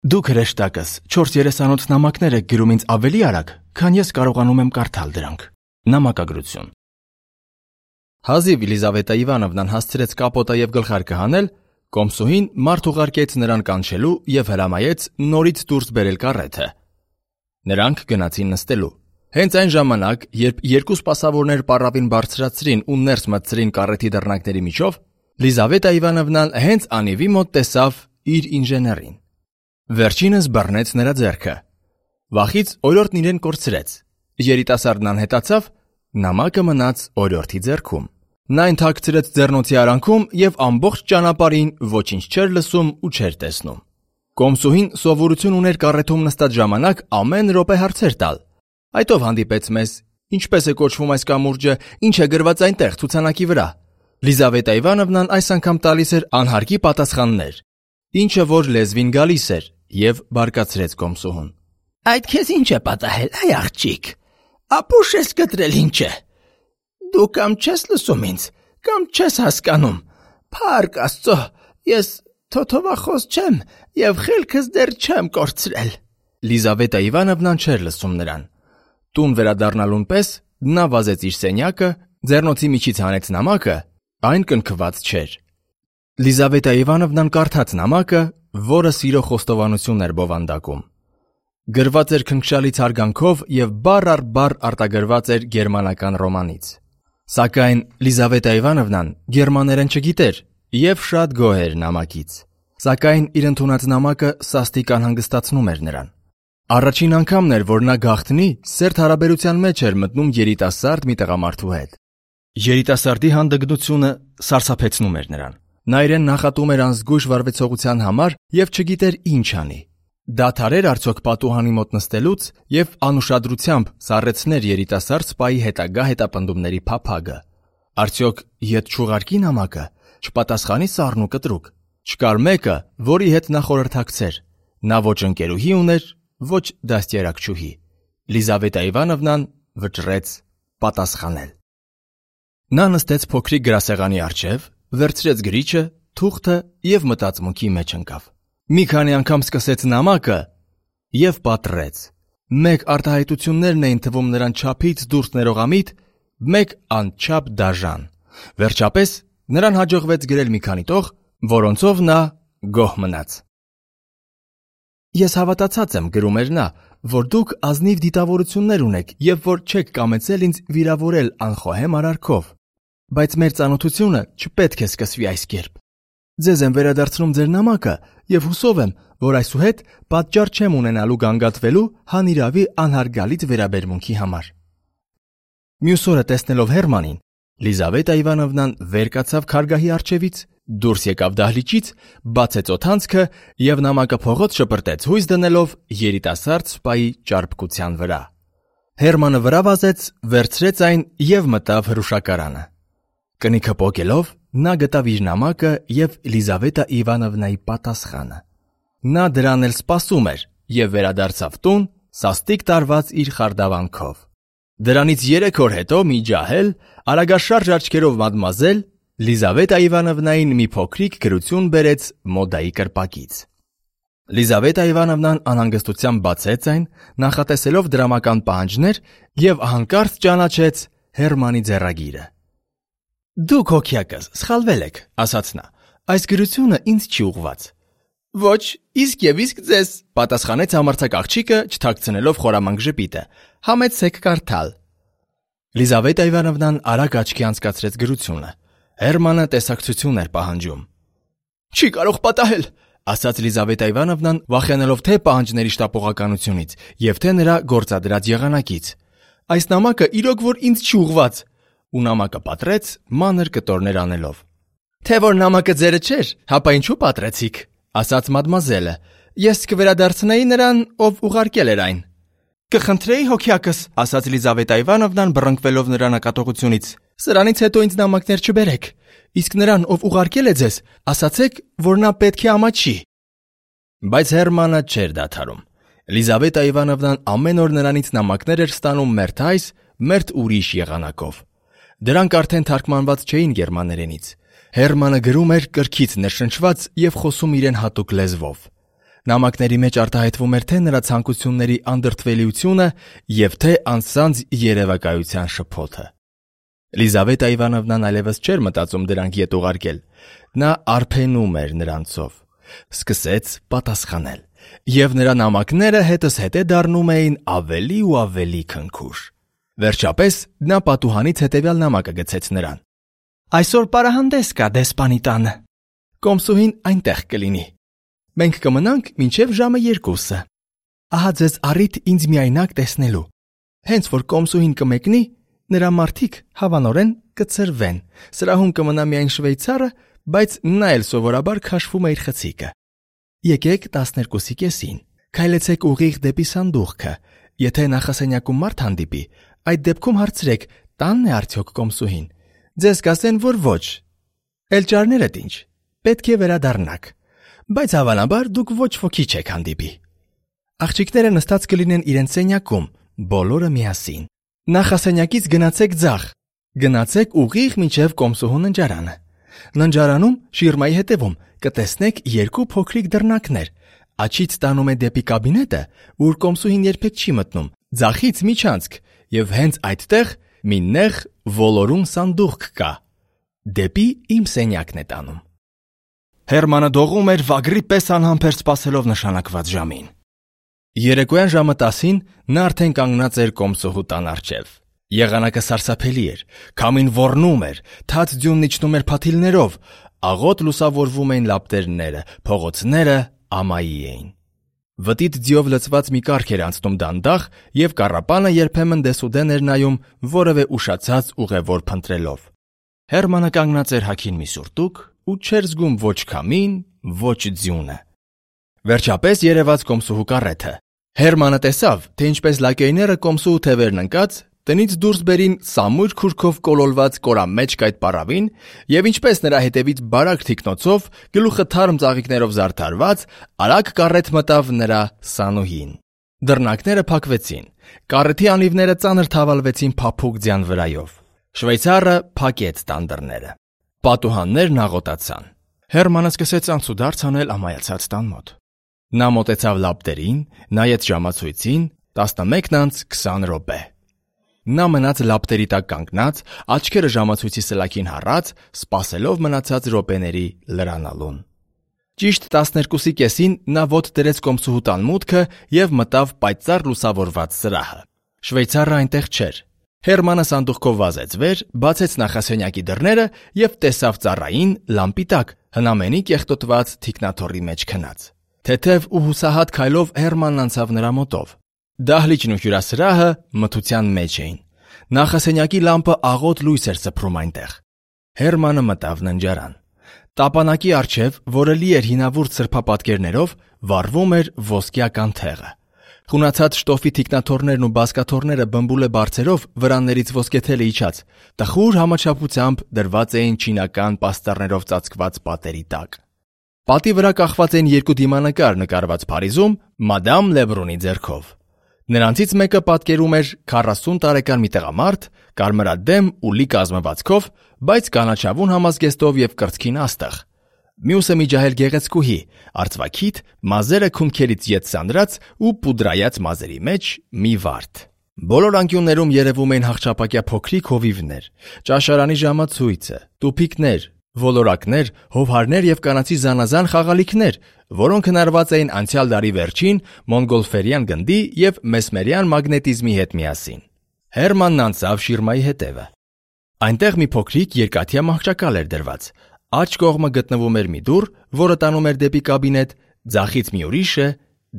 Դուք հրեշտակս 4:38 նամակներ եք գրում ինձ ավելի արագ, քան ես կարողանում եմ կարդալ դրանք։ Նամակագրություն։ Հազիվ Լիզավետա Իվանովնան հասցրեց կապոտը եւ գլխարկը հանել, կոմսուհին մարդ ուղարկեց նրան կանչելու եւ հրամայեց նորից դուրս բերել կառեթը։ Նրանք գնացին նստելու։ Հենց այն ժամանակ, երբ երկու սպասավորներ պառավին բարձրացրին ու ներս մտցրին կառեթի դռնակների միջով, Լիզավետա Իվանովնան հենց անիվի մոտ տեսավ իր ինժեներին։ Վերջինս բռնեց նրա ձեռքը։ Վախից օրիորդն իրեն կորցրեց։ Երիտասարդն անհետացավ, նամակը մնաց օրիորդի ձեռքում։ Նա ընթաքցրեց ձեռնոցի արանքում եւ ամբողջ ճանապարհին ոչինչ չէր լսում ու չէր տեսնում։ Կոմսուհին սովորություն ուներ կառեթում նստած ժամանակ ամեն րոպե հարցեր տալ։ Այդ ով հանդիպեց մեզ, ինչպես է կոչվում այս կամուրջը, ինչ է գրված այնտեղ ցուցանակի վրա։ Լիզավետա Իվանովնան այս անգամ տալիս էր անհարկի պատասխաններ, ինչը որ լեզվին գալիս էր, եւ բարկացրեց կոմսուհուն։ Այդ քեզ ինչ է պատահել, այ աղջիկ։ Ապուշ ես կտրել ինչ է։ Դու կամ չես լսում ինձ, կամ չես հասկանում։ Փառք Աստծո, ես թոթովախոս չեմ եւ խելքս դեռ չեմ կորցրել։ Լիզավետա Իվանովնան չէր լսում նրան։ Տուն վերադառնալուն պես նա վազեց իր սենյակը, ձեռնոցի միջից հանեց նամակը, այն կնքված չէր։ Լիզավետա Իվանովնան կարդաց նամակը, որը սիրո խոստովանություն էր բովանդակում։ Գրված էր քնքշալից հարգանքով եւ բառ առ բառ արտագրված էր գերմանական ռոմանից։ Սակայն Լիզավետա Իվանովնան գերմաներեն չգիտեր եւ շատ գոհ էր նամակից։ Սակայն իր ընդունած նամակը սաստիկ անհանգստացնում էր նրան։ Առաջին անգամն էր, որ նա գաղտնի սերտ հարաբերության մեջ էր մտնում երիտասարդ մի տղամարդու հետ։ Երիտասարդի հանդգնությունը սարսափեցնում էր նրան։ Նա իրեն նախատում էր անզգույշ վարվեցողության համար եւ չգիտեր ինչ անի։ Դադարեր արդյոք պատուհանի մոտ նստելուց եւ անուշադրությամբ սառեցներ երիտասարդ սպայի հետագա հետապնդումների փափագը։ Արդյոք ետ չուղարկի նամակը, չպատասխանի սառն ու կտրուկ։ Չկար մեկը, որի հետ նա խորհրդակցեր։ Նա ոչ ընկերուհի ուներ, ոչ դաստիարակչուհի։ Լիզավետա Իվանովնան վճռեց պատասխանել։ Նա նստեց փոքրիկ գրասեղանի առջև, վերցրեց գրիչը, թուղթը եւ մտածմունքի մեջ ընկավ։ Մի քանի անգամ սկսեց նամակը եւ պատռեց։ Մեկ արտահայտություններն էին թվում նրան չափից դուրս ներողամիտ, մեկ անչափ դաժան։ Վերջապես նրան հաջողվեց գրել մի քանի տող, որոնցով նա գոհ մնաց։ Ես հավատացած եմ, գրում էր նա, որ դուք ազնիվ դիտավորություններ ունեք եւ որ չեք կամեցել ինձ վիրավորել անխոհեմ արարքով, բայց մեր ծանոթությունը չպետք է սկսվի այս կերպ։ Ձեզ եմ վերադարձնում ձեր նամակը եւ հուսով եմ, որ այսուհետ պատճառ չեմ ունենալու գանգատվելու հանիրավի անհարգալից վերաբերմունքի համար։ Մյուս օրը տեսնելով Հերմանին, Լիզավետա Իվանովնան վեր կացավ քարգահի առջևից, դուրս եկավ դահլիճից, բացեց օդանցքը եւ նամակը փողոց շպրտեց հույս դնելով երիտասարդ սպայի ճարպկության վրա։ Հերմանը վրա վազեց, վերցրեց այն եւ մտավ հրուշակարանը։ Կնիքը պոկելով նա գտավ իր նամակը եւ Լիզավետա Իվանովնայի պատասխանը։ Նա դրան էլ սպասում էր եւ վերադարձավ տուն սաստիկ տարված իր խարդավանքով։ Դրանից 3 օր հետո մի ջահել, արագաշարժ աչքերով մադմազել Լիզավետա Իվանովնային մի փոքրիկ գրություն բերեց մոդայի կրպակից։ Լիզավետա Իվանովնան անհանգստությամբ բացեց այն, նախատեսելով դրամական պահանջներ եւ հանկարծ ճանաչեց Հերմանի ձեռագիրը։ Դուք հոգյակս սխալվել եք, ասաց նա։ Այս գրությունը ինձ չի ուղված։ Ոչ, իսկ եւ իսկ ձեզ, պատասխանեց համարձակ աղջիկը, չթաքցնելով խորամանկ ժպիտը։ Համեցեք կարդալ։ Լիզավետա Իվանովնան արագ աչքի անցկացրեց գրությունը։ Հերմանը տեսակցություն էր պահանջում։ Չի կարող պատահել, ասաց Լիզավետա Իվանովնան, վախենալով թե պահանջների շտապողականությունից եւ թե նրա գործադրած եղանակից։ Այս նամակը իրոք որ ինձ չի ուղված։ Ու նամակը պատրեց մանր կտորներ անելով։ Թե որ նամակը ձերը չէր, հապա ինչու պատրեցիք, ասաց մադմազելը։ Ես կվերադարձնեի նրան, ով ուղարկել էր այն։ Կխնդրեի հոգյակս, ասաց Լիզավետա Իվանովնան բռնկվելով նրա նկատողությունից։ Սրանից հետո ինձ նամակներ չբերեք։ Իսկ նրան, ով ուղարկել է ձեզ, ասացեք, որ նա պետք է ամաչի։ Բայց Հերմանը չէր դադարում։ Լիզավետա Իվանովնան ամեն օր նրանից նամակներ էր ստանում մերթ այս, մերթ ուրիշ եղանակով։ Դրանք արդեն թարգմանված չէին գերմաներենից։ Հերմանը գրում էր կրքից ներշնչված եւ խոսում իրեն հատուկ լեզվով։ Նամակների մեջ արտահայտվում էր թե նրա ցանկությունների անդրդվելիությունը եւ թե անձանց երևակայության շփոթը։ Լիզավետա Իվանովնան այլևս չէր մտածում դրանք ետ ուղարկել։ Նա արփենում էր նրանցով։ Սկսեց պատասխանել, եւ նրա նամակները հետզհետե դառնում էին ավելի ու ավելի քնքուշ։ Վերջապես նա պատուհանից հետևյալ նամակը գցեց նրան. Այսօր պարահանդես կա դեսպանի տանը։ Կոմսուհին այնտեղ կլինի։ Մենք կմնանք մինչև ժամը 2։ Ահա ձեզ առիթ ինձ միայնակ տեսնելու։ Հենց որ կոմսուհին կմեկնի, նրա մարդիկ հավանորեն կծրվեն։ Սրահում կմնա միայն շվեյցարը, բայց նա էլ սովորաբար քաշվում է իր խցիկը։ Եկեք 12:30-ին, քայլեցեք ուղիղ դեպի սանդուղքը։ Եթե նախասենյակում մարդ հանդիպի, այդ դեպքում հարցրեք, տանն է արդյոք կոմսուհին։ Ձեզ կասեն, որ ոչ։ Էլճարներդ ինչ, պետք է վերադառնաք, բայց հավանաբար դուք ոչ ոքի չեք հանդիպի։ Աղջիկները նստած կլինեն իրենց սենյակում, բոլորը միասին։ Նախասենյակից գնացեք ձախ, գնացեք ուղիղ մինչև կոմսուհու ննջարանը։ Ննջարանում շիրմայի հետևում կտեսնեք 2 փոքրիկ դռնակներ։ Աչից տանում է դեպի կաբինետը, ուր կոմսուհին երբեք չի մտնում, ձախից միջանցք, եւ հենց այդտեղ մի նեղ ոլորուն սանդուղք կա։ Դեպի իմ սենյակն է տանում։ Հերմանը դողում էր վագրի պես անհամբեր սպասելով նշանակված ժամին։ Երեկոյան ժամը 10-ին նա արդեն կանգնած էր կոմսուհու տան առջև։ Եղանակը սարսափելի էր, քամին ոռնում էր, թաց ձյունն իջնում էր փաթիլներով, աղոտ լուսավորվում էին լապտերները, փողոցները ամայի էին։ Վտիտ ձիով լցված մի կառք էր անցնում դանդաղ, եւ կառապանը երբեմն դեսուդեն էր նայում որևէ ուշացած ուղևոր փնտրելով։ Հերմանը կանգնած էր հագին մի սուրտուկ ու չէր զգում ոչ քամին, ոչ ձյունը։ Վերջապես երևաց կոմսուհու կարեթը։ Հերմանը տեսավ, թե ինչպես լակեյները կոմսուհու թևերն ընկած տնից դուրս բերին սամույր քուրքով կոլոլված կորամեջք այդ պարավին եւ ինչպես նրա հետևից բարակ թիկնոցով գլուխը թարմ ծաղիկներով զարդարված արագ կարեթ մտավ նրա սանուհին։ Դռնակները փակվեցին, կարեթի անիվները ծանր թավալվեցին փափուկ ձյան վրայով։ Շվեյցարը փակեց տան դռները։ Պատուհաններն աղոտացան։ Հերմանը սկսեց անցուդարձ անել ամայացած տան մոտ։ Նա մոտեցավ լապտերին, նայեց ժամացույցին 11:20 րոպե։ Նա մնաց լապտերի տակ կանգնած, աչքերը ժամացույցի սլաքին հառած, սպասելով մնացած րոպեների լրանալուն։ Ճիշտ 12:30-ին նա ոտք դրեց կոմսուհու տան մուտքը եւ մտավ պայծառ լուսավորված սրահը։ Շվեյցարը այնտեղ չէր։ Հերմանը սանդուղքով վազեց վեր, բացեց նախասենյակի դռները եւ տեսավ ծառային լամպի տակ հնամենի կեղտոտված թիկնաթոռի մեջ քնած։ Թեթև ու հուսահատ քայլով Հերմանն անցավ նրա մոտով։ Դահլիճն ու հյուրասրահը մթության մեջ էին։ Նախասենյակի լամպը աղոտ լույս էր սփռում այնտեղ։ Հերմանը մտավ ննջարան։ Տապանակի առջև, որը լի էր հինավուրց սրբապատկերներով, վառվում էր ոսկյա կանթեղը։ Խունացած շտոֆի թիկնաթոռներն ու բազկաթոռները բմբուլե բարձերով վրաններից ոսկեթելը իջած, տխուր համաչափությամբ դրված էին չինական պաստառներով ծածկված պատերի տակ։ Պատի վրա կախված էին 2 դիմանկար նկարված Փարիզում մադամ Լեբրունի ձեռքով։ Նրանցից մեկը պատկերում էր 40 տարեկան մի տղամարդ, կարմրադեմ ու լի կազմվածքով, բայց կանաչավուն համազգեստով եւ կրծքին աստղ։ Մյուսը մի ջահել գեղեցկուհի, արծվաքիթ, մազերը քունքերից ետ սանրած ու պուդրայած մազերի մեջ մի վարդ։ Բոլոր անկյուններում երևում էին հաղճապակյա փոքրիկ հովիվներ, ճաշարանի ժամացույցը, տուփիկներ, ոլորակներ, հովհարներ եւ կանացի զանազան խաղալիքներ, որոնք հնարված էին անցյալ դարի վերջին մոնգոլֆերյան գնդի եւ մեսմերյան մագնետիզմի հետ միասին։ Հերմանն անցավ շիրմայի հետևը։ Այնտեղ մի փոքրիկ երկաթյա մահճակալ էր դրված։ Աջ կողմը գտնվում էր մի դուռ, որը տանում էր դեպի կաբինետ, ձախից մի ուրիշը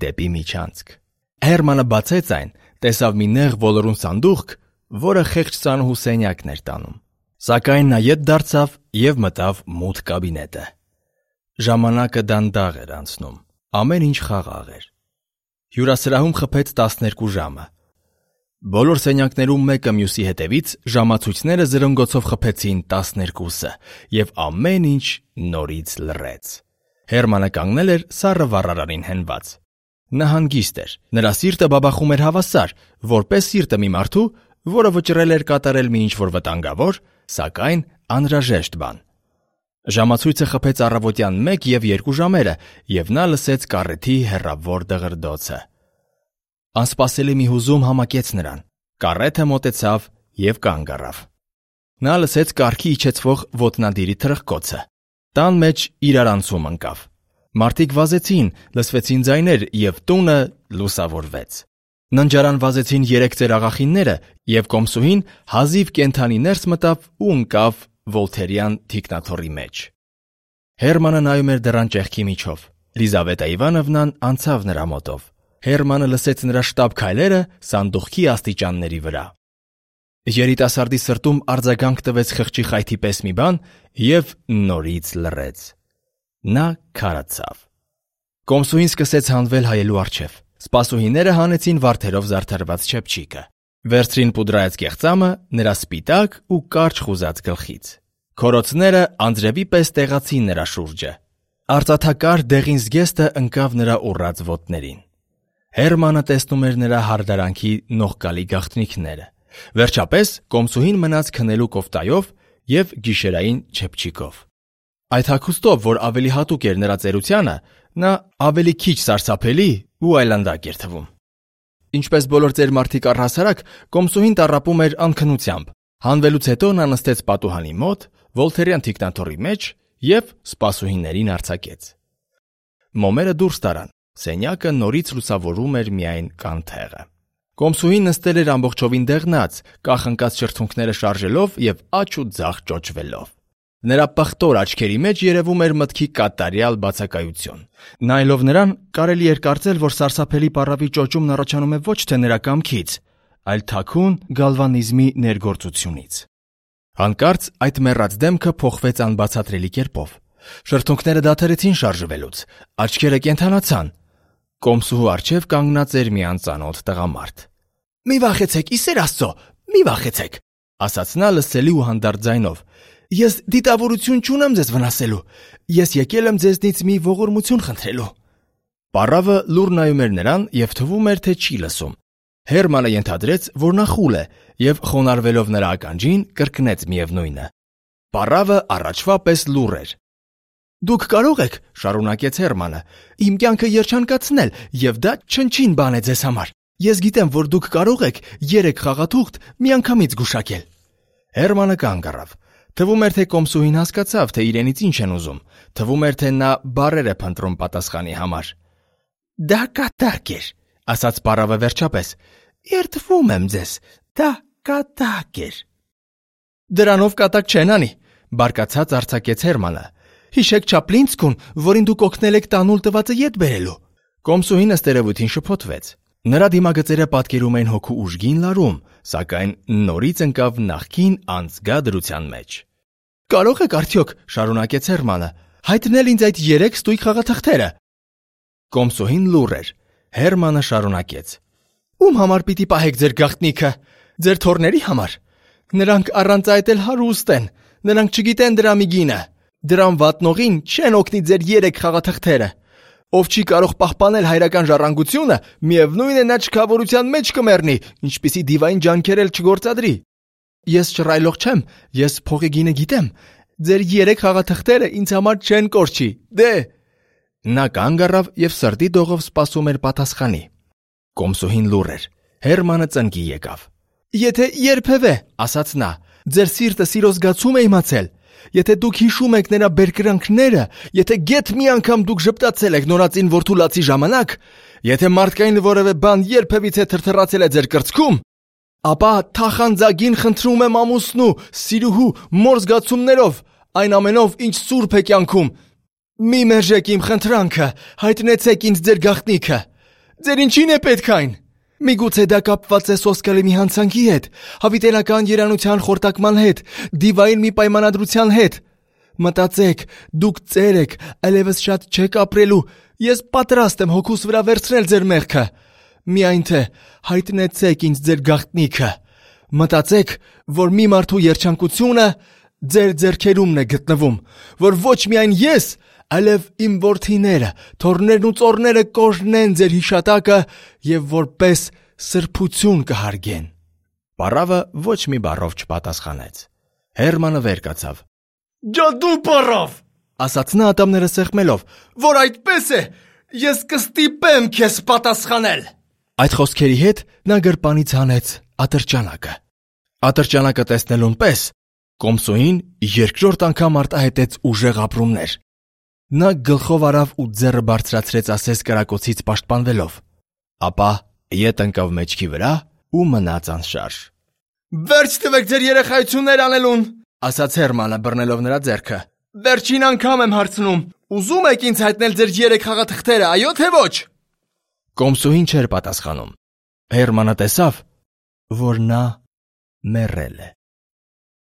դեպի միջանցք։ Հերմանը բացեց այն, տեսավ մի նեղ ոլորուն սանդուղք, որը խեղճ սանուհու սենյակն էր տանում։ Սակայն նա ետ դարձավ եւ մտավ մութ կաբինետը։ Ժամանակը դանդաղ էր անցնում, ամեն ինչ խաղաղ էր։ Հյուրասրահում խփեց 12 ժամը։ Բոլոր սենյակներում մեկը մյուսի հետևից ժամացույցները զրնգոցով խփեցին 12-ը եւ ամեն ինչ նորից լռեց։ Հերմանը կանգնել էր սառը վառարանին հենված։ Նա հանգիստ էր, նրա սիրտը բաբախում էր հավասար, որպես սիրտը մի մարդու, որը վճռել էր կատարել մի ինչ-որ վտանգավոր, սակայն անհրաժեշտ բան։ Ժամացույցը խփեց առավոտյան 1 և 2 ժամերը, և նա լսեց կառեթի հեռավոր դղրդոցը։ Անսպասելի մի հուզում համակեց նրան։ Կառեթը մոտեցավ և կանգ առավ։ Նա լսեց կառքի իջեցվող ոտնադիրի թրխկոցը։ Տան մեջ իրարանցում ընկավ։ Մարդիկ վազեցին, լսվեցին ձայներ, և տունը լուսավորվեց։ Ննջարան վազեցին 3 ծերաղախինները, և կոմսուհին հազիվ կենդանի ներս մտավ ու ընկավ Վոլթերյան թիկնաթոռի մեջ։ Հերմանը նայում էր դռան ճեղքի միջով։ Լիզավետա Իվանովնան անցավ նրա մոտով։ Հերմանը լսեց նրա շտապ քայլերը սանդուղքի աստիճանների վրա։ Երիտասարդի սրտում արձագանք տվեց խղճի խայթի պես մի բան և նորից լռեց։ Նա քարացավ։ Կոմսուհին սկսեց հանվել հայելու առջև։ Սպասուհիները հանեցին վարդերով զարդարված չեպչիկը։ Վերցրին պուդրայած կեղծամը նրա սպիտակ ու կարճ խուզած գլխից։ Քորոցները անձրևի պես տեղացին նրա շուրջը։ Արծաթակար դեղին զգեստը ընկավ նրա ուռած ոտներին։ Հերմանը տեսնում էր նրա հարդարանքի նողկալի գաղտնիքները։ Վերջապես կոմսուհին մնաց քնելու կոֆտայով և գիշերային չեպչիկով։ Այդ հագուստով, որ ավելի հատուկ էր նրա ծերությանը, նա ավելի քիչ սարսափելի ու այլանդակ էր թվում։ Ինչպես բոլոր ծեր մարդիկ առհասարակ, կոմսուհին տառապում էր անքնությամբ։ Հանվելուց հետո նա նստեց պատուհանի մոտ, Վոլթերյան թիկնաթոռի մեջ և սպասուհիներին արձակեց։ Մոմերը դուրս տարան։ Սենյակը նորից լուսավորում էր միայն կանթեղը։ Կոմսուհին նստել էր ամբողջովին դեղնած, կախ ընկած շրթունքները շարժելով և աջ ու ձախ ճոճվելով։ Նրա պղտոր աչքերի մեջ երևում էր մտքի կատարյալ բացակայություն։ Նայելով նրան, կարելի էր կարծել, որ սարսափելի պառավի ճոճումն առաջանում է ոչ թե նրա կամքից, այլ թաքուն գալվանիզմի ներգործությունից։ Հանկարծ այդ մեռած դեմքը փոխվեց անբացատրելի կերպով։ Շրթունքները դադարեցին շարժվելուց, աչքերը կենդանացան։ Կոմսուհու առջև կանգնած էր մի անծանոթ տղամարդ։ «Մի վախեցեք, ի սեր Աստծո, մի վախեցեք», ասաց նա լսելի ու հանդարտ ձայնով։ «Ես դիտավորություն չունեմ ձեզ վնասելու։ Ես եկել եմ ձեզնից մի ողորմություն խնդրելու»։ Պառավը լուռ նայում էր նրան և թվում էր, թե չի լսում։ Հերմանը ենթադրեց, որ նա խուլ է, և խոնարհվելով նրա ականջին, կրկնեց միևնույնը։ Պառավը առաջվա պես լուռ էր։ «Դուք կարող եք, — շարունակեց Հերմանը, — իմ կյանքը երջանկացնել, և դա չնչին բան է ձեզ համար։ Ես գիտեմ, որ դուք կարող եք 3 խաղաթուղթ միանգամից գուշակել»։ Հերմանը կանգ առավ։ Թվում էր, թե կոմսուհին հասկացավ, թե իրենից ինչ են ուզում։ Թվում էր, թե նա բառեր է փնտրում պատասխանի համար։ «Դա կատակ էր», ասաց պառավը վերջապես։ «Երդվում եմ ձեզ, դա կատակ էր»։ «Դրանով կատակ չեն անի», բարկացած արձակեց Հերմանը։ «Հիշեք Չապլինսկուն, որին դուք օգնել եք տանուլ տվածը ետ բերելու»։ Կոմսուհին ըստերևույթին շփոթվեց։ Նրա դիմագծերը պատկերում էին հոգու ուժգին լարում, սակայն նորից ընկավ նախկին անձգա դրության մեջ։ «Կարող եք արդյոք, — շարունակեց Հերմանը, — հայտնել ինձ այդ 3 ստույգ խաղաթղթերը»։ Կոմսուհին լուռ էր։ Հերմանը շարունակեց. «Ում համար պիտի պահեք ձեր գաղտնիքը։ Ձեր թոռների համար։ Նրանք առանց այդ էլ հարուստ են։ Նրանք չգիտեն դրա մի գինը։ Դրան վատնողին չեն օգնի ձեր 3 խաղաթղթերը։ Ով չի կարող պահպանել հայրական ժառանգությունը, միևնույն է նա չքավորության մեջ կմեռնի, ինչպիսի դիվային ջանքեր էլ չգործադրի։ Ես շռայլող չեմ, ես փողի գինը գիտեմ։ Ձեր 3 խաղաթղթերը ինձ համար չեն կորչի, դե»։ Նա կանգ առավ և սրտի դողով սպասում էր պատասխանի։ Կոմսուհին լուռ էր։ Հերմանը ծնկի եկավ։ «Եթե երբևէ, — ասաց նա, — ձեր սիրտը սիրո զգացում է իմացել, եթե դուք հիշում եք նրա բերկրանքները, եթե գեթ մի անգամ դուք ժպտացել եք նորածին որդուլացի ժամանակ, եթե մարդկային որևէ բան երբևիցե թրթռացել է ձեր կրծքում, ապա թախանձագին խնդրում եմ ամուսնու, սիրուհու, մոր զգացումներով, այն ամենով, ինչ սուրբ է կյանքում, մի մերժեք իմ խնդրանքը, հայտնեցեք ինձ ձեր գաղտնիքը։ Ձեր ինչին է պետք այն։ Միգուցե դա կապված է սոսկալի մի հանցանքի հետ, հավիտենական երանության խորտակման հետ, դիվային մի պայմանադրության հետ։ Մտածեք, դուք ծեր եք, այլևս շատ չեք ապրելու, ես պատրաստ եմ հոգուս վրա վերցնել ձեր մեղքը։ Միայն թե հայտնեցեք ինձ ձեր գաղտնիքը։ Մտածեք, որ մի մարդու երջանկությունը ձեր ձեռքերումն է գտնվում, որ ոչ միայն ես, այլև իմ որդիները, թոռներն ու ծոռները կօրհնեն ձեր հիշատակը և որպես սրբություն կհարգեն։ Պառավը ոչ մի բառով չպատասխանեց։ Հերմանը վեր կացավ։ Ջադու բառով, ասաց նա ատամները սեղմելով։ որ այդպես է, ես կստիպեմ քեզ պատասխանել։ Այդ խոսքերի հետ նա գրպանից հանեց ատրճանակը։ Ատրճանակը տեսնելուն պես Կոմսոին երկրորդ անգամ արտահայտեց ուժեղ ապրումներ։ Նա գլխով արավ ու ձեռը բարձրացրեց ասես կրակոցից պաշտպանվելով, ապա ետ ընկավ մեջքի վրա ու մնաց անշարժ։ Վերջ տվեք ձեր երեխայություններ անելուն, Ասաց Հերմանը բռնելով նրա ձեռքը։ վերջին անգամ եմ հարցնում, ուզում եք ինձ հայտնել ձեր 3 խաղաթղթերը, այո թե ոչ։ Կոմսոին չէր պատասխանում։ Հերմանը տեսավ, որ նա մեռել է։